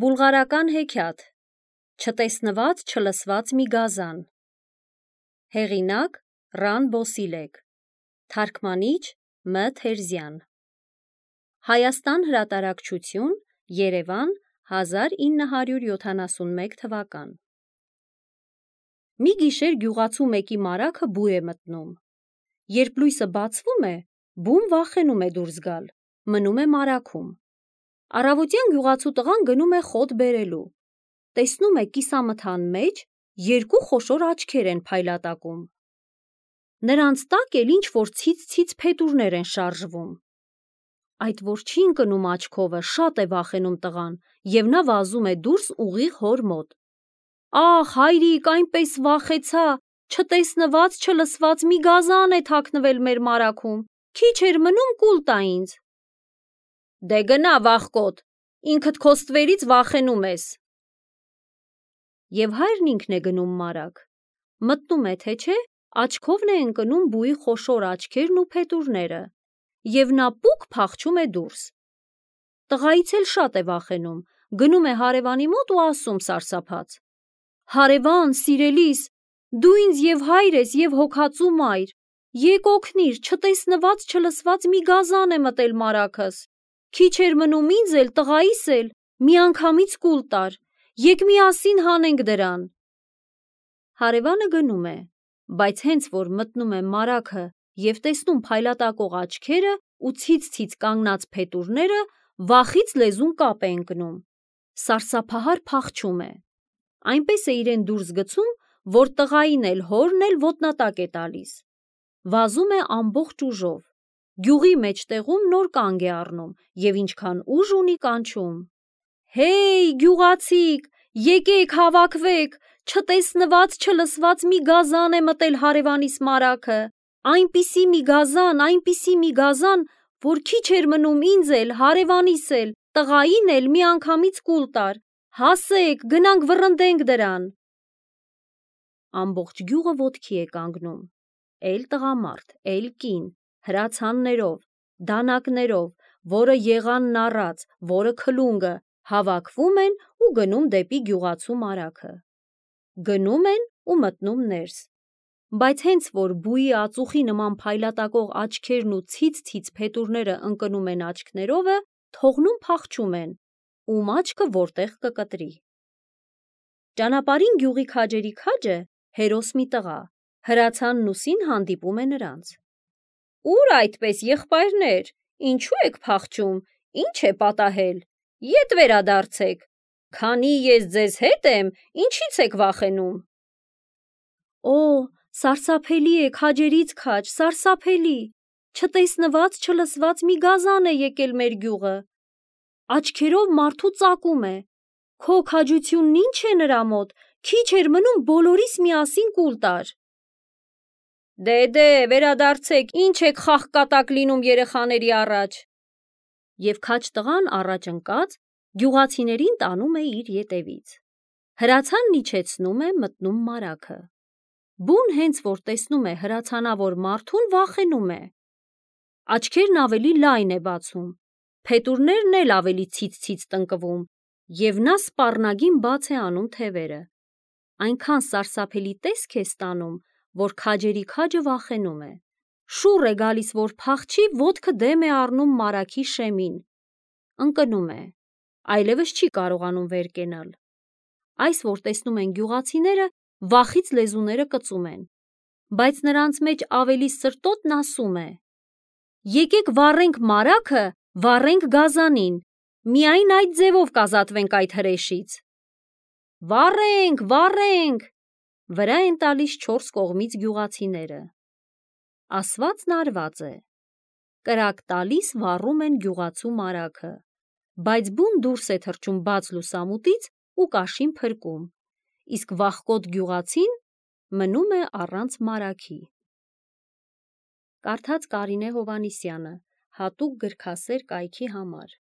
Բուլղարական հեքիաթ Չտեսնված չլսված մի գազան Հեղինակ Ռան Բոսիլեկ Թարգմանիչ Մ. Թերզյան Հայաստան հրատարակչություն Երևան 1971 թվական Մի գիշեր գյուղացու մեկի մարագը բու է մտնում. Երբ լույսը բացվում է, բուն վախենում է դուրս գալ, մնում է մարագում: Առավոտյան գյուղացու տղան գնում է խոտ բերելու: Տեսնում է կիսամթան մեջ երկու խոշոր աչքեր են փայլատակում: Նրանց տակ էլ ինչ-որ ցից-ցից փետուրներ են շարժվում: Այդ որ չի ընկնում աչքովը, շատ է վախենում տղան և նա վազում է դուրս ուղիղ հոր մոտ: Ախ, հայրիկ, այնպես վախեցա, չտեսնված չլսված մի գազան է թաքնվել մեր մարագում, քիչ էր մնում կուլ տա ինձ: Դե գնա վախկոտ, ինքդ քո ստվերից վախենում ես: Եվ հայրն ինքն է գնում մարագ, մտնում է թե չէ, աչքովն է ընկնում բուի խոշոր աչքերն ու փետուրները և նա պուկ փախչում է դուրս: Տղայից էլ շատ է վախենում, գնում է հարևանի մոտ ու ասում սարսափած. Հարևան, սիրելիս, դու ինձ և հայր ես և հոգածու մայր, եկ օգնիր, չտեսնված չլսված մի գազան է մտել մարագս, քիչ էր մնում ինձ էլ, տղայիս էլ, միանգամից կուլ տար, եկ միասին հանենք դրան: Հարևանը գնում է, բայց հենց որ մտնում է մարագը և տեսնում փայլատակող աչքերը ու ցից-ցից կանգնած փետուրները, վախից լեզուն կապ է ընկնում, սարսափահար փախչում է: Այնպես է իրեն դուրս գցում, որ տղային էլ հորն էլ ոտնատակ է տալիս: Վազում է ամբողջ ուժով, գյուղի մեջտեղում նոր կանգ է առնում և ինչքան ուժ ունի կանչում. Հեյ, գյուղացիք, եկեք հավաքվեք, չտեսնված չլսված մի գազան է մտել հարևանիս մարագը, այնպիսի մի գազան, որ քիչ էր մնում ինձ էլ, հարևանիս էլ, տղային էլ միանգամից կուլ տար, հասեք, գնանք վռնդենք դրան: Ամբողջ գյուղը ոտքի է կանգնում, էլ տղամարդ, էլ կին, հրացաններով, դանակներով, որը եղանն առած, որը քլունգը, հավաքվում են ու գնում դեպի գյուղացու մարագը: Գնում են ու մտնում ներս, բայց հենց որ բուի ածուխի նման փայլատակող աչքերն ու ցից-ցից փետուրները ընկնում են աչքներովը, թողնում փախչում են, ում աչքը որտեղ կկտրի: Ճանապարհին գյուղի քաջերի քաջը, հերոս մի տղա, հրացանն ուսին հանդիպում է նրանց: Ո՞ւր այդպես, եղբայրներ, ինչու եք փախչում, ինչ է պատահել, ետ վերադարձեք, քանի ես ձեզ հետ եմ, ինչի՞ց եք վախենում: Օ, սարսափելի է, քաջերից քաջ, սարսափելի, չտեսնված չլսված մի գազան է եկել մեր գյուղը, աչքերով մարդու ծակում է, քո քաջությունն ինչ է նրա մոտ, քիչ էր մնում բոլորիս միասին կուլ տար: Դե, վերադարձեք, ինչ եք խաղկատակ լինում երեխաների առաջ: Եվ քաջ տղան առաջ ընկած, գյուղացիներին տանում է իր ետևից: Հրացանն իջեցնում է, մտնում մարագը: Բուն հենց որ տեսնում է հրացանավոր մարդուն, վախենում է: Աչքերն ավելի լայն է բացում, փետուրներն էլ ավելի ցից-ցից տնկվում և նա սպառնագին բաց է անում թևերը: Այնքան սարսափելի տեսք է ստանում, որ քաջերի քաջը վախենում է: Շուռ է գալիս, որ փախչի, ոտքը դեմ է առնում մարագի շեմին, ընկնում է, այլևս չի կարողանում վեր կենալ: Այս որ տեսնում են գյուղացիները, վախից լեզուները կծում են, բայց նրանց մեջ ավելի սրտոտն ասում է. Եկեք վառենք մարագը, վառենք գազանին, միայն այդ ձևով կազատվենք այդ հրեշից: Վառենք, վառենք, վրա են տալիս չորս կողմից գյուղացիները: Ասվածն արված է, կրակ տալիս վառում են գյուղացու մարագը, բայց բուն դուրս է թռչում բաց լուսամուտից ու կաշին փրկում, իսկ վախկոտ գյուղացին մնում է առանց մարագի: Կարդաց Կարինե Հովհաննիսյանը, հատուկ գրքասեր կայքի համար: